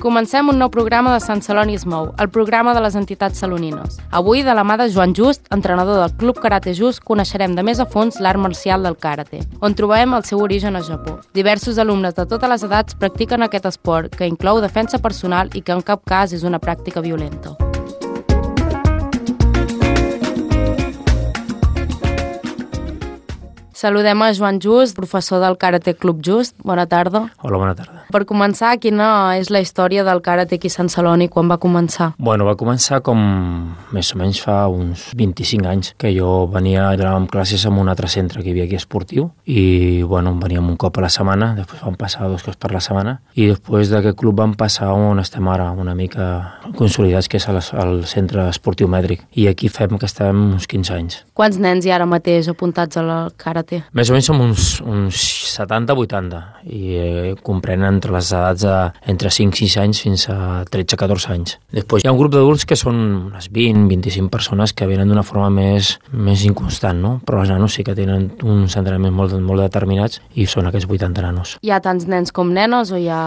Comencem un nou programa de Sant Celoni es mou, el programa de les entitats salonines. Avui, de la mà de Joan Just, entrenador del Club Karate Just, coneixerem de més a fons l'art marcial del karate, on trobem el seu origen a Japó. Diversos alumnes de totes les edats practiquen aquest esport, que inclou defensa personal i que en cap cas és una pràctica violenta. Saludem a Joan Just, professor del Karate Club Just. Bona tarda. Hola, bona tarda. Per començar, quina és la història del karate aquí a Sant Celoni, quan va començar? Bueno, va començar com més o menys fa uns 25 anys, que jo anàvem classes en un altre centre que hi havia aquí esportiu i, bueno, veníem un cop a la setmana, després vam passar 2 cops per la setmana i després d'aquest club vam passar on estem ara, una mica consolidats, que és al centre esportiu mètric. I aquí fem que estem uns 15 anys. Quants nens hi ha ara mateix apuntats al karate? Més o menys som uns 70-80 i comprenen entre les edats entre 5-6 anys fins a 13-14 anys. Després hi ha un grup d'adults que són unes 20-25 persones que venen d'una forma més inconstant, no? Però els nanos sí que tenen uns entrenaments molt determinats i són aquests 80 nanos. Hi ha tants nens com nenes o hi ha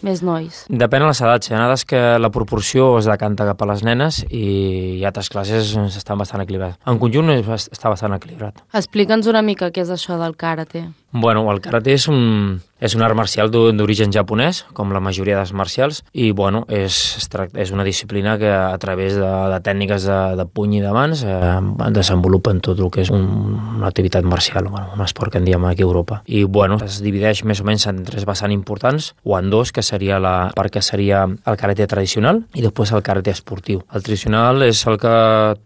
més nois? Depèn de les edats. Hi ha edats que la proporció es decanta cap a les nenes i hi ha altres classes on estan bastant equilibrats. En conjunt està bastant equilibrat. Explica'ns una mica què és això del karate. Bueno, el karate és un art marcial d'origen japonès, com la majoria d'arts marcials, i bueno, és una disciplina que a través de tècniques de puny i de mans desenvolupen tot el que és una activitat marcial, un esport que en diem aquí a Europa. I bueno, es divideix més o menys en 3 vessants importants, o en 2, que seria el karate tradicional i després el karate esportiu. El tradicional és el que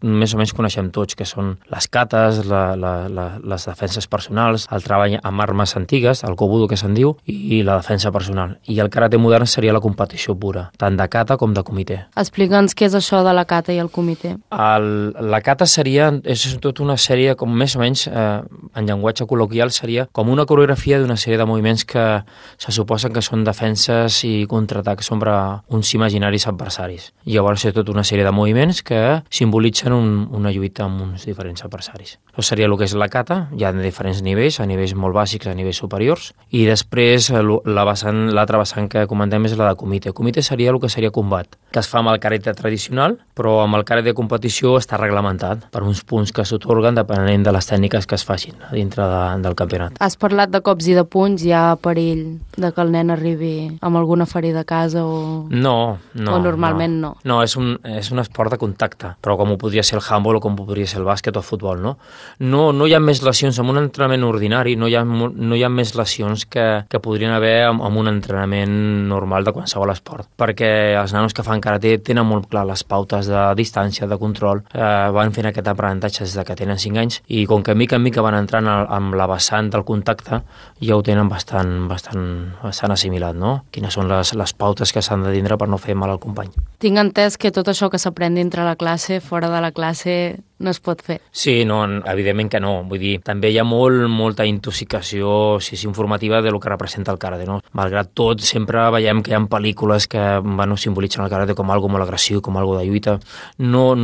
més o menys coneixem tots, que són les katas, les defenses personals, el treball amb armes antigues, el kobudo que se'n diu, i la defensa personal. I el karate modern seria la competició pura, tant de kata com de comitè. Explica'ns què és això de la kata i el comitè. La kata és tota una sèrie, com més o menys, en llenguatge col·loquial, seria com una coreografia d'una sèrie de moviments que se suposen que són defenses i contraatacs sobre uns imaginaris adversaris. I llavors és tota una sèrie de moviments que simbolitzen una lluita amb uns diferents adversaris. Això seria el que és la kata, hi ha diferents nivells, a nivells molt bàsics, a nivells superiors, i després l'altra vessant que comentem és la de comitè. Comitè seria el que seria combat, que es fa amb el karate tradicional, però amb el karate de competició està reglamentat per uns punts que s'atorguen depenent de les tècniques que es facin dintre del campionat. Has parlat de cops i de punys, hi ha perill de que el nen arribi amb alguna ferida a casa o... No. O normalment no? No, és un esport de contacte, però com ho podria ser el handball o com ho podria ser el bàsquet o el futbol, no? No hi ha més lesions en un entrenament ordinari, no hi ha més lesions que podrien haver amb un entrenament normal de qualsevol esport, perquè els nanos que fan karate tenen molt clar les pautes de distància, de control, van fent aquest aprenentatge des que tenen 5 anys i com que mica en mica van entrant amb la vessant del contacte ja ho tenen bastant assimilat, no? Quines són les pautes que s'han de tindre per no fer mal al company. Tinc entès que tot això que s'aprèn dintre la classe, fora de la classe, no es pot fer. Sí, no, evidentment que no. Vull dir, també hi ha molta intoxicació informativa de lo que representa el karate, no? Malgrat tot, sempre veiem que hi ha pel·lícules que simbolitzen el karate com algo molt agressiu, com algo de lluita. No.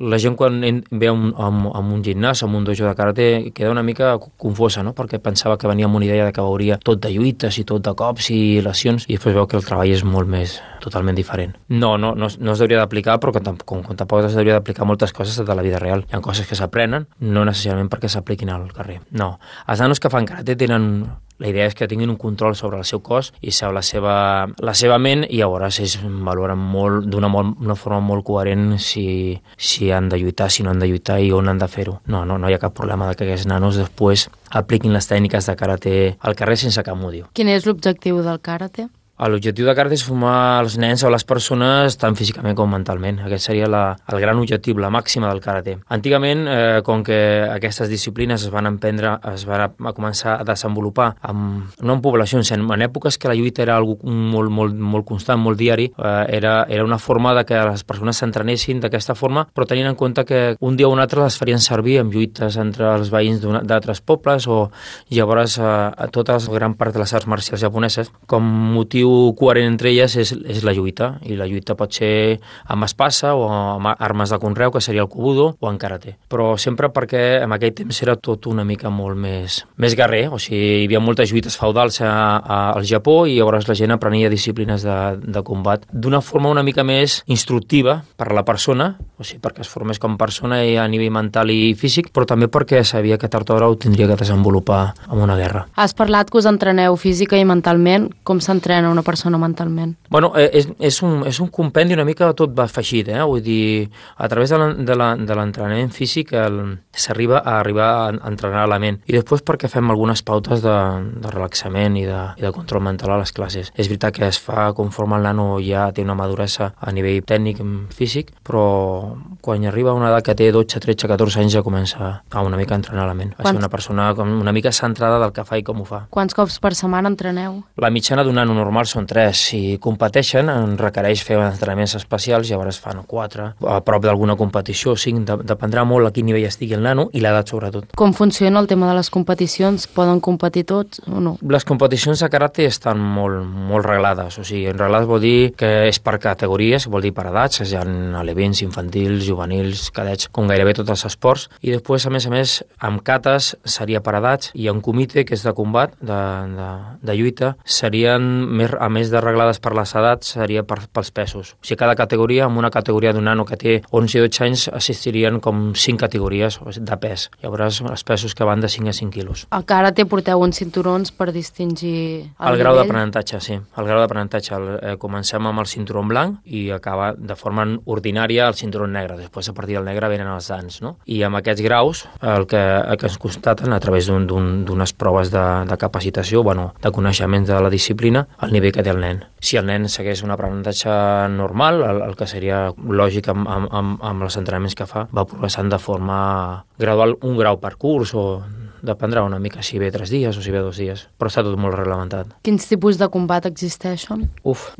La gent quan ve a un gimnàs, a un dojo de karate, queda una mica confosa, no? Perquè pensava que venia amb una idea que veuria tot de lluites i tot de cops i lesions, i després veu que el treball és molt més totalment diferent. No es hauria d'aplicar, però com tampoc es hauria d'aplicar moltes coses de la vida real. Hi ha coses que s'aprenen, no necessàriament perquè s'apliquin al carrer. No. Els nanos que fan karate tenen... La idea és que tinguin un control sobre el seu cos i sobre la seva ment, i llavors ells valoren molt, d'una forma molt coherent si han de lluitar, si no han de lluitar i on han de fer-ho. No hi ha cap problema de que aquests nanos després apliquin les tècniques de karate al carrer sense cap motiu. Quin és l'objectiu del karate? L'objectiu de karate és formar els nens o les persones tant físicament com mentalment. Aquest seria el gran objectiu, la màxima del karate. Antigament, com que aquestes disciplines es van començar a desenvolupar no en poblacions, en èpoques que la lluita era algo molt constant, molt diari, era una forma de que les persones s'entrenessin d'aquesta forma, però tenint en compte que un dia o un altre les farien servir amb lluites entre els veïns d'altres pobles, o llavors a tota la gran part de les arts marcials japoneses com motiu distintiu coherent entre elles és la lluita, i la lluita pot ser amb espasa o amb armes de conreu, que seria el kobudo, o en karate. Però sempre perquè en aquell temps era tot una mica molt més guerrer, o sigui, hi havia moltes lluites feudals al Japó i llavors la gent aprenia disciplines de combat d'una forma una mica més instructiva per a la persona, o sigui, perquè es formés com persona a nivell mental i físic, però també perquè sabia que tard o d'hora ho tindria que desenvolupar en una guerra. Has parlat que us entreneu física i mentalment. Com s'entrena una persona mentalment? Bueno, és un compendi una mica tot va afegit, vull dir, a través de l'entrenament físic s'arriba a entrenar la ment, i després perquè fem algunes pautes de relaxament i de control mental a les classes. És veritat que es fa conforme el nano ja té una maduresa a nivell tècnic físic, però quan arriba a una edat que té 12, 13, 14 anys ja comença a una mica a entrenar la ment, a ser una persona una mica centrada del que fa i com ho fa. Quants cops per setmana entreneu? La mitjana d'un nano normal són 3. Si competeixen, requereix fer entrenaments especials, llavors fan 4, a prop d'alguna competició, 5, dependrà molt a quin nivell estigui el nano i l'edat sobretot. Com funciona el tema de les competicions? Poden competir tots o no? Les competicions de karate estan molt reglades, o sigui, reglades vol dir que és per categories, vol dir per edats, hi ha alevins, infantils, juvenils, cadets, com gairebé tots els esports, i després, a més, amb cates seria per edats, i en comitè, que és de combat, de lluita, serien, a més de reglades per les edats, seria pels pesos. O sigui, cada categoria, amb una categoria d'un nano que té 11 i 12 anys, assistirien com 5 categories de pes. Llavors, els pesos que van de 5 a 5 quilos. A karate porteu uns cinturons per distingir el grau d'aprenentatge, sí. El grau d'aprenentatge. Comencem amb el cinturó blanc i acaba de forma ordinària el cinturó negre. Després, a partir del negre, venen els dans, no? I amb aquests graus, el que es constaten a través d'unes proves de capacitació, de coneixements de la disciplina, el nivell que té el nen. Si el nen segueix un aprenentatge normal, el que seria lògic amb els entrenaments que fa, va progressant de forma gradual, un grau per curs, o dependrà una mica si ve 3 dies o si ve 2 dies, però està tot molt reglamentat. Quins tipus de combat existeixen?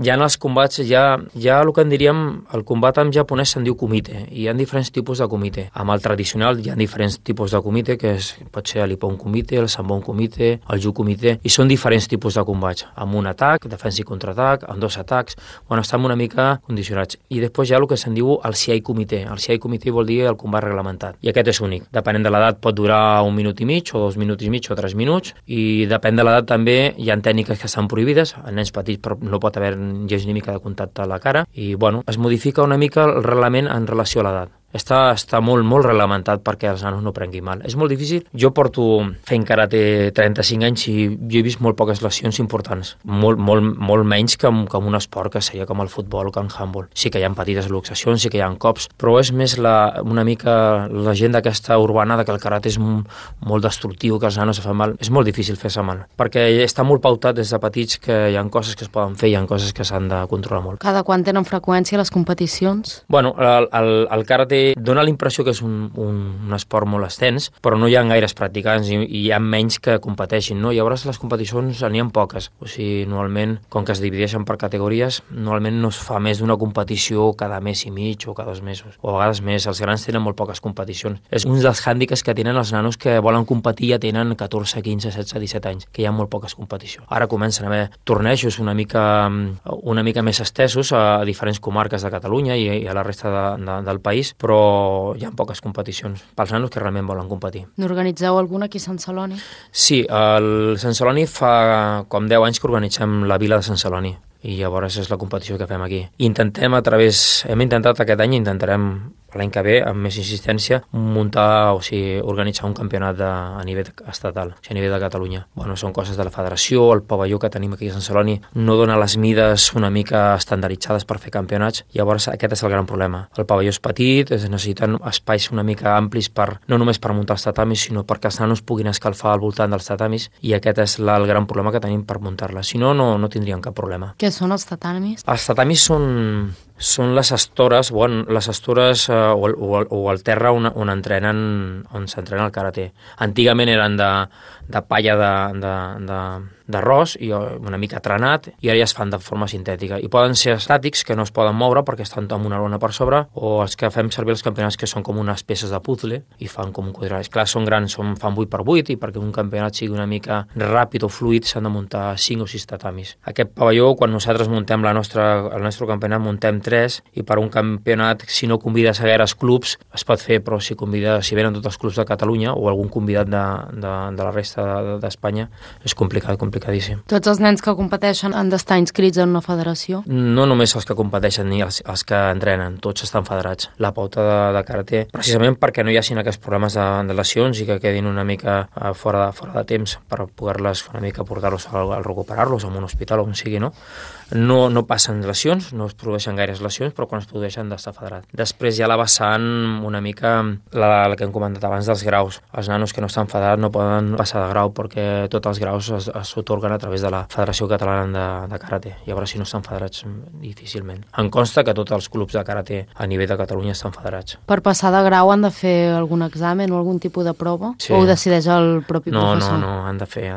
Ja en els combats, ja el que en diríem, el combat en japonès se'n diu kumite, i hi ha diferents tipus de kumite. Amb el tradicional hi ha diferents tipus de kumite, que pot ser l'Ippon kumite, el Sanbon kumite, el Ju kumite, i són diferents tipus de combats, amb un atac, defensa i contraatac, amb 2 atacs, estan una mica condicionats. I després hi ha el que se'n diu el Siai kumite. El Siai kumite vol dir el combat reglamentat, i aquest és únic. Depenent de l'edat pot durar 1 minut i mig, o 2 minuts i mig, o 3 minuts, i depèn de l'edat també, hi ha tècniques que estan prohibides, a nens petits però no pot haver gens ni mica de contacte a la cara, i es modifica una mica el reglament en relació a l'edat. Està molt reglamentat perquè els nanos no prenguin mal. És molt difícil. Jo porto fent karate 35 anys i jo he vist molt poques lesions importants. Molt menys que un esport que seria com el futbol o que el handball. Sí que hi ha petites luxacions, sí que hi ha cops, però és més una mica la gent d'aquesta urbana de que el karate és molt destructiu, que els nanos se fan mal. És molt difícil fer-se mal, perquè està molt pautat des de petits que hi ha coses que es poden fer i hi ha coses que s'han de controlar molt. Cada quant tenen freqüència les competicions? El karate dona la impressió que és un esport molt extens, però no hi ha gaires practicants i hi ha menys que competeixin, no? Llavors les competicions n'hi ha poques, o sigui, normalment, com que es divideixen per categories, normalment no es fa més d'una competició cada mes i mig o cada 2 mesos, o a vegades més. Els grans tenen molt poques competicions. És un dels hàndicaps que tenen els nanos que volen competir, ja tenen 14, 15, 16, 17 anys, que hi ha molt poques competicions. Ara comencen a haver tornejos una mica més estesos a diferents comarques de Catalunya i a la resta del país, però hi ha poques competicions pels nanos que realment volen competir. N'organitzeu alguna aquí a Sant Celoni? Sí, el Sant Celoni fa com 10 anys que organitzem la Vila de Sant Celoni, i llavors és la competició que fem aquí. Hem intentat aquest any, intentarem l'any que ve, amb més insistència, organitzar un campionat a nivell estatal, a nivell de Catalunya. Són coses de la federació, el pavelló que tenim aquí a Sant Celoni no dona les mides una mica estandarditzades per fer campionats, llavors aquest és el gran problema. El pavelló és petit, es necessiten espais una mica amplis no només per muntar els tatamis, sinó perquè els nanos puguin escalfar al voltant dels tatamis, i aquest és el gran problema que tenim per muntar-la. Si no, no tindríem cap problema. Què són els tatamis? Els tatamis són les estores, o el terra on s'entrena el karate. Antigament eren de palla d'arròs i una mica trenat, i ara ja es fan de forma sintètica. I poden ser estàtics, que no es poden moure perquè estan amb una lona per sobre, o els que fem servir els campionats que són com unes peces de puzzle i fan com un quadrat. Clar, són grans, fan 8x8, i perquè un campionat sigui una mica ràpid o fluid s'han de muntar 5 o 6 tatamis. Aquest pavelló, quan nosaltres muntem el nostre campionat, muntem 3, i per un campionat, si no convides a gaires clubs, es pot fer, però si venen tots els clubs de Catalunya o algun convidat de la resta d'Espanya, és complicadíssim. Tots els nens que competeixen han d'estar inscrits en una federació? No només els que competeixen ni els que entrenen, tots estan federats. La pauta de karate, precisament perquè no hi hagin aquests problemes de lesions i que quedin una mica fora de temps per poder-les una mica portar-los a recuperar-los en un hospital o on sigui, no? No passen lesions, no es produeixen gaires lesions, però quan es produeixen d'estar federat. Després hi ha la vessant una mica, la que hem comentat abans dels graus. Els nanos que no estan federats no poden passar de grau perquè tots els graus s'atorguen a través de la Federació Catalana de Karate. Llavors, si no estan federats, difícilment. Em consta que tots els clubs de karate a nivell de Catalunya estan federats. Per passar de grau han de fer algun examen o algun tipus de prova? Sí. O ho decideix el propi professor? No, han de fer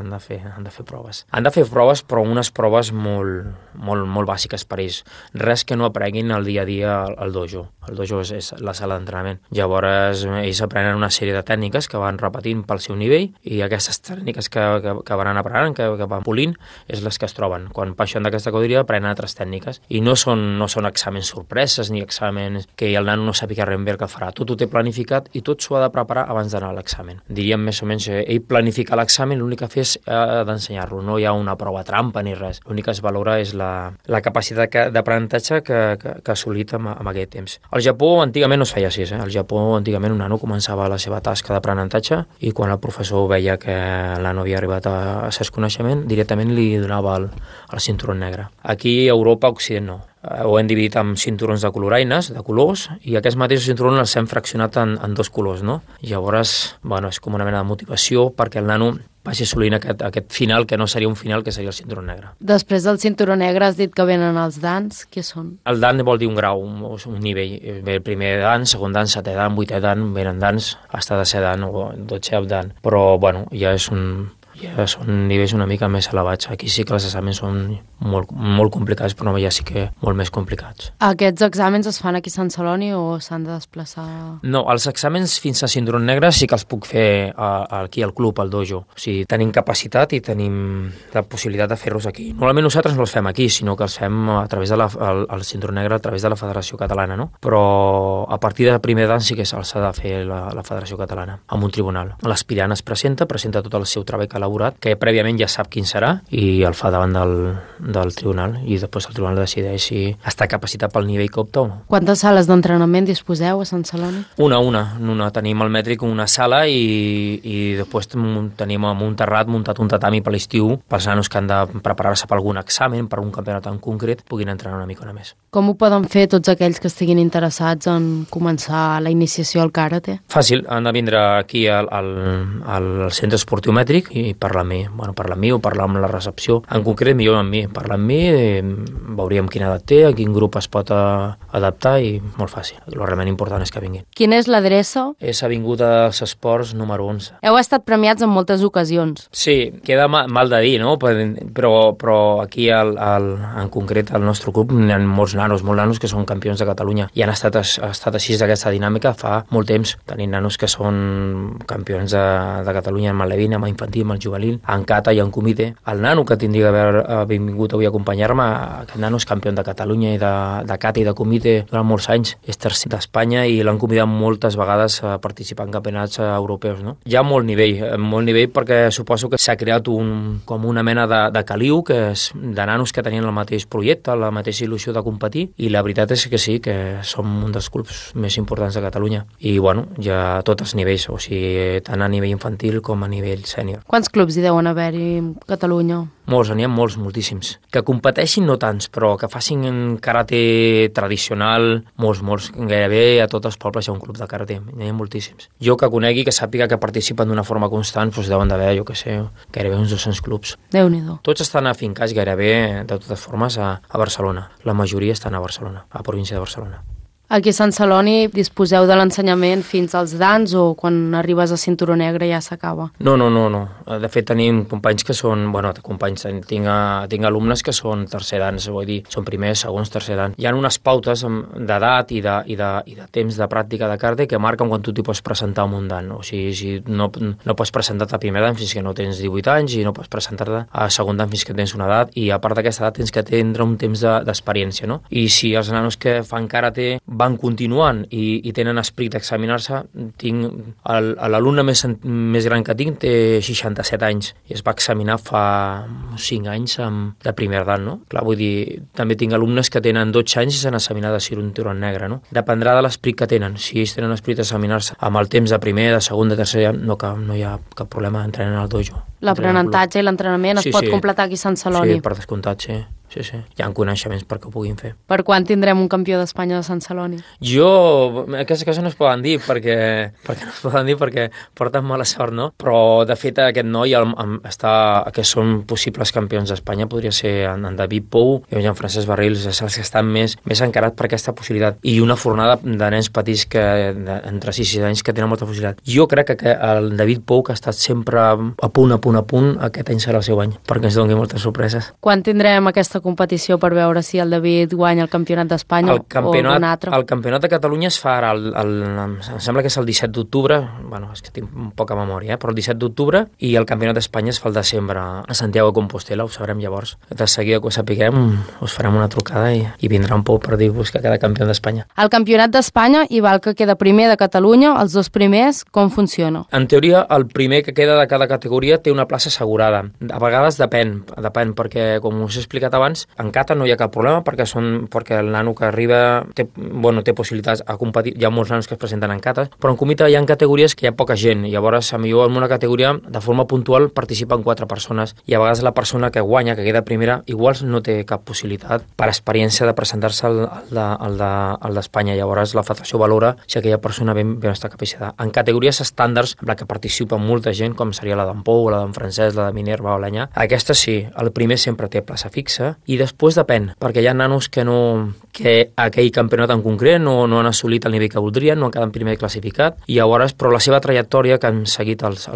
proves. Han de fer proves, però unes proves molt bàsiques per ells. Res que no aprenguin al dia a dia al dojo. El dojo és la sala d'entrenament. Llavors, ells aprenen una sèrie de tècniques que van repetint pel seu nivell, i aquestes tècniques que van aprenent, que van polint, és les que es troben. Quan baixen d'aquesta categoria, aprenen altres tècniques. I no són exàmens sorpreses, ni exàmens que el nano no sàpiga res bé el que farà. Tot ho té planificat i tot s'ho ha de preparar abans d'anar a l'examen. Diríem més o menys, ell planifica l'examen, l'únic que fa és d'ensenyar-lo. No hi ha una prova trampa ni res. L'únic que es valora és la capacitat d'aprenentatge que ha assolit amb aquest temps. Al Japó antigament no es feia així. Al Japó antigament un nano començava la seva tasca d'aprenentatge i quan el professor veia que el nano havia arribat a cert coneixement, directament li donava el cinturó negre. Aquí a Europa, a Occident, no. Ho hem dividit en cinturons de coloraines, de colors, i aquests mateixos cinturons els hem fraccionat en 2 colors, no? Llavors, és com una mena de motivació perquè el nano vagi assolint aquest final, que no seria un final, que seria el cinturó negre. Després del cinturó negre has dit que venen els dans. Què són? El dan vol dir un grau, un nivell. Ve el primer dan, segon dan, setè dan, vuitè dan, venen dans, hasta de ser dan o 12è dan. Però, ja són nivells una mica més elevats. Aquí sí que els exàmens són molt complicats, però ja sí que molt més complicats. Aquests exàmens es fan aquí a Sant Celoni o s'han de desplaçar? No, els exàmens fins a cinturó negre sí que els puc fer aquí al club, al dojo. O sigui, tenim capacitat i tenim la possibilitat de fer-los aquí. Normalment nosaltres no els fem aquí, sinó que els fem a través de el cinturó negre, a través de la Federació Catalana, no? Però a partir del primer dan sí que se'ls ha de fer la Federació Catalana, amb un tribunal. L'aspirant es presenta tot el seu treball que ha elaborat, que prèviament ja sap quin serà, i el fa davant del tribunal, i després el tribunal decideix si està capacitat pel nivell que opta o no. Quantes sales d'entrenament disposeu a Sant Celoni? Una. Tenim al mètric una sala i després tenim amb un terrat muntat un tatami per l'estiu pels nanos que han de preparar-se per algun examen, per un campionat en concret, puguin entrenar una mica més. Com ho poden fer tots aquells que estiguin interessats en començar la iniciació al karate? Fàcil, han de vindre aquí al centre esportiu mètric i parlar amb mi. Parlar amb mi o parlar amb la recepció. En concret, millor amb mi. Parlar amb mi, veuríem quina edat té, a quin grup es pot adaptar, i molt fàcil. El realment important és que vinguin. Quina és l'adreça? És Avinguda dels Esports número 11. Heu estat premiats en moltes ocasions. Sí, queda mal de dir, no? Però aquí en concret al nostre club hi ha molts nanos que són campions de Catalunya i han estat així d'aquesta dinàmica fa molt temps. Tenim nanos que són campions de Catalunya en Malevina, en infantil, en juvenil, en kata i en comitè. El nano que tindria d'haver vingut avui a acompanyar-me, aquest nano és campió de Catalunya i de kata i de comitè durant molts anys. És tercer d'Espanya i l'han convidat moltes vegades a participar en campionats europeus, no? Hi ha molt nivell perquè suposo que s'ha creat com una mena de caliu que és de nanos que tenien el mateix projecte, la mateixa il·lusió de competir, i la veritat és que sí, que som un dels clubs més importants de Catalunya. I hi ha tots els nivells, o sigui, tant a nivell infantil com a nivell sènior. Quants clubs hi deuen haver-hi a Catalunya? Molts, n'hi ha moltíssims. Que competeixin no tants, però que facin karate tradicional, molts. Gairebé a tots els pobles hi ha un club de karate, n'hi ha moltíssims. Jo que conegui, que sàpiga que participen d'una forma constant, deuen d'haver, gairebé uns 200 clubs. Déu-n'hi-do. Tots estan afincats gairebé, de totes formes, a Barcelona. La majoria estan a Barcelona, a la província de Barcelona. Aquí a Sant Celoni disposeu de l'ensenyament fins als dans o quan arribes a cinturó negre ja s'acaba? No. De fet, tenim companys que són... Tinc alumnes que són tercer dans, vull dir, són primers, segons, tercer dan. Hi ha unes pautes d'edat i de temps de pràctica de karate que marquen quan tu t'hi pots presentar a un dan. O sigui, no pots presentar-te a primer dan fins que no tens 18 anys i no pots presentar-te a segon dan fins que tens una edat, i a part d'aquesta edat tens que tindre un temps d'experiència, no? I si els nanos que fan karate van continuant i tenen esperit d'examinar-se, l'alumne més gran que tinc té 67 anys i es va examinar fa 5 anys de primer dan, no? Clar, vull dir, també tinc alumnes que tenen 12 anys i s'han examinat de cinturó negre, no? Dependrà de l'esperit que tenen. Si ells tenen esperit d'examinar-se amb el temps de primer, de segon, de tercer, no hi ha cap problema d'entrenar al dojo. L'aprenentatge i l'entrenament es pot completar aquí a Sant Celoni? Sí, per descomptat, sí. Hi ha coneixements perquè ho puguin fer. Per quan tindrem un campió d'Espanya de Sant Celoni? Aquestes coses no es poden dir perquè porten mala sort, no? Però, de fet, aquest noi que són possibles campions d'Espanya podria ser en David Pou i en Jean-Francesc Barrils, és els que estan més encarats per aquesta possibilitat. I una fornada de nens petits entre 6 i 6 anys que tenen molta possibilitat. Jo crec que el David Pou, que ha estat sempre a punt, aquest any serà el seu any, perquè ens doni moltes sorpreses. Quan tindrem aquesta competició per veure si el David guanya el campionat d'Espanya o un altre? El campionat de Catalunya es fa ara, em sembla que és el 17 d'octubre, és que tinc poca memòria, però el 17 d'octubre, i el campionat d'Espanya es fa el desembre a Santiago de Compostela, ho sabrem llavors. De seguida que ho sapiguem, us farem una trucada i vindrà un Pou per dir-vos que queda campió d'Espanya. El campionat d'Espanya hi va el que queda primer de Catalunya, els dos primers, com funciona? En teoria, el primer que queda de cada categoria té una plaça assegurada. A vegades depèn, perquè, com us he explicat abans, en kata no hi ha cap problema perquè el nano que arriba té possibilitats a competir. Hi ha molts nanos que es presenten en kata, però en kumite hi ha categories que hi ha poca gent. Llavors, millor en una categoria, de forma puntual, participen 4 persones i a vegades la persona que guanya, que queda primera, igual no té cap possibilitat per experiència de presentar-se al d'Espanya. Llavors, la federació valora si aquella persona ben està capacitada. En categories estàndards, en la que participa molta gent, com seria la d'en Pou, la d'en Francesc, la de Minerva o l'Anyà, aquesta sí, el primer sempre té plaça fixa. I després depèn, perquè hi ha nanos que aquell campionat en concret no han assolit el nivell que voldrien, no han quedat primer classificat, i llavors, però la seva trajectòria que han seguit els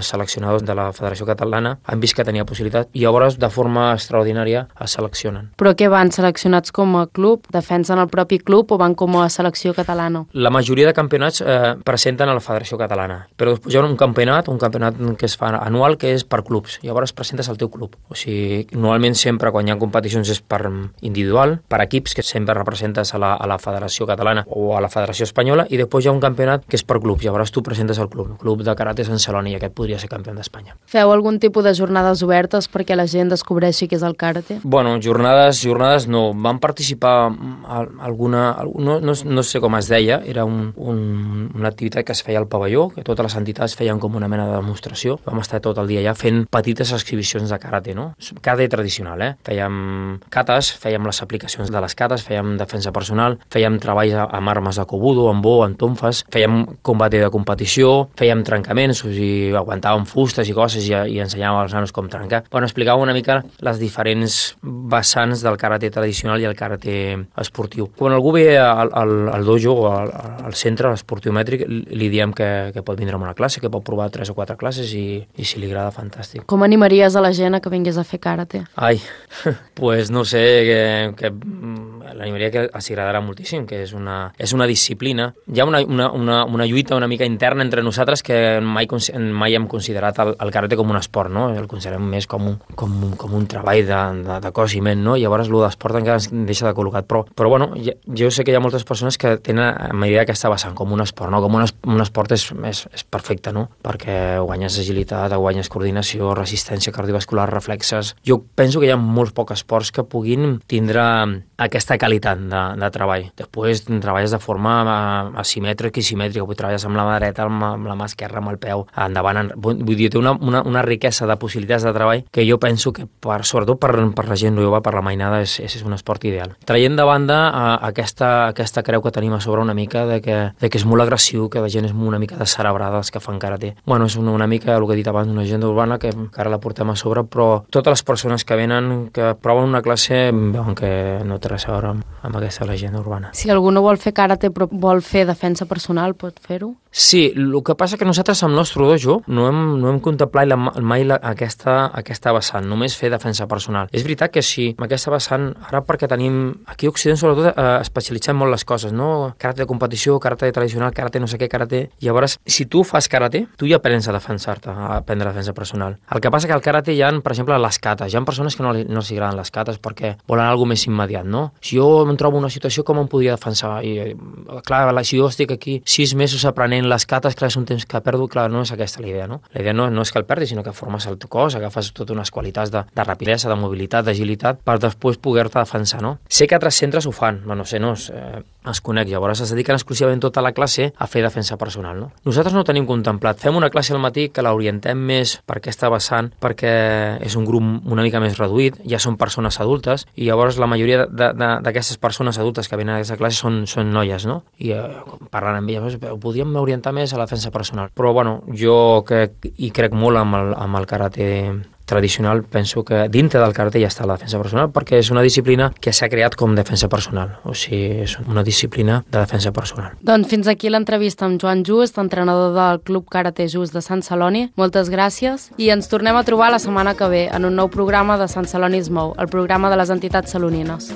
seleccionadors de la Federació Catalana han vist que tenia possibilitat, i llavors de forma extraordinària es seleccionen. Però què van, seleccionats com a club? Defensen el propi club o van com a selecció catalana? La majoria de campionats presenten a la Federació Catalana, però després hi ha un campionat que es fa anual, que és per clubs. Llavors presentes al teu club. O sigui, normalment sempre quan hi ha competicions és per individual, per equips, que sempre representes a la Federació Catalana o a la Federació Espanyola, i després hi ha un campionat que és per clubs. Llavors tu presentes al club de karate Sant Celoni, i aquest podria ser campió d'Espanya. Feu algun tipus de jornades obertes perquè la gent descobreixi què és el karate? Bueno, jornades no. Van participar alguna... No sé com es deia, era una activitat que es feia al pavelló, que totes les entitats feien com una mena de demostració. Vam estar tot el dia allà fent petites exhibicions de karate, no? Karate tradicional, Fèiem katas, fèiem les aplicacions de les katas, fèiem defensa personal, fèiem treballs amb armes de kobudo, amb bo, amb tonfes, fèiem combat de competició, fèiem trencaments, o sigui, aguantàvem fustes i coses i ensenyàvem als nanos com trencar. Bueno, explicàvem una mica les diferents vessants del karate tradicional i el karate esportiu. Quan algú ve al dojo o al centre esportiu mètric, li diem que pot vindre a una classe, que pot provar 3 o 4 classes i si li agrada, fantàstic. Com animaries a la gent a que vingués a fer karate? Pues no sé, que l'animaria que els agradarà moltíssim, que és una disciplina. Hi ha una lluita una mica interna entre nosaltres que mai hem considerat el karate com un esport, no? El considerem més com un treball de cos i ment, no? Llavors l'esport encara ens deixa de col·locat. Però bueno, jo sé que hi ha moltes persones que tenen a medida aquesta vessant com un esport, no? Com un esport és perfecte, no? Perquè guanyes agilitat, guanyes coordinació, resistència cardiovascular, reflexes. Jo penso que hi ha molts pocs esports que puguin tindre aquesta qualitat de treball. Després treballes de forma asimètrica i simètrica, treballes amb la mà dreta, amb la mà esquerra, amb el peu, endavant. Vull dir, té una riquesa de possibilitats de treball que jo penso que, sobretot per la gent jove, per la mainada, és un esport ideal. Traient de banda aquesta creu que tenim a sobre una mica de que és molt agressiu, que la gent és una mica descerebrada, els que fan karate. Bueno, és una mica el que he dit abans, una agenda urbana que encara la portem a sobre, però totes les persones que venen, que proven una classe, veuen que no té res a veure amb aquesta llegenda urbana. Si algú no vol fer karate però vol fer defensa personal, pot fer-ho? Sí, el que passa que nosaltres amb el nostre dojo no hem contemplat mai aquesta vessant, només fer defensa personal. És veritat que sí, amb aquesta vessant, ara perquè tenim, aquí a Occident sobretot especialitzem molt les coses, no? Karate de competició, karate tradicional, karate no sé què, karate... Llavors, si tu fas karate, tu ja aprens a defensar-te, a aprendre defensa personal. El que passa que al karate hi ha, per exemple, les cates. Hi ha persones que no els agraden les cates perquè volen alguna més immediat, no? Si jo em trobo en una situació, com em podria defensar? I, clar, si jo estic aquí 6 mesos aprenent les cates, clar, és un temps que perdo, clar, no és aquesta la idea, no? La idea no és que el perdis, sinó que formes el teu cos, agafes totes unes qualitats de rapidesa, de mobilitat, d'agilitat, per després poder-te defensar, no? Sé que altres centres ho fan, no sé, es conec, llavors es dediquen exclusivament tota la classe a fer defensa personal, no? Nosaltres no tenim contemplat. Fem una classe al matí que l'orientem més per aquesta vessant, perquè és un grup una mica més reduït, ja són persones adultes, i llavors la majoria d'aquestes persones adultes que venen a aquesta classe són noies, no? I parlant amb elles, podríem orientar més a la defensa personal. Però, bueno, jo crec molt amb el karate tradicional, penso que dintre del karate ja està la defensa personal, perquè és una disciplina que s'ha creat com defensa personal, o sigui, és una disciplina de defensa personal. Doncs fins aquí l'entrevista amb Joan Just, entrenador del Club Karate Just de Sant Celoni. Moltes gràcies i ens tornem a trobar la setmana que ve en un nou programa de Sant Celoni es mou, el programa de les entitats salonines.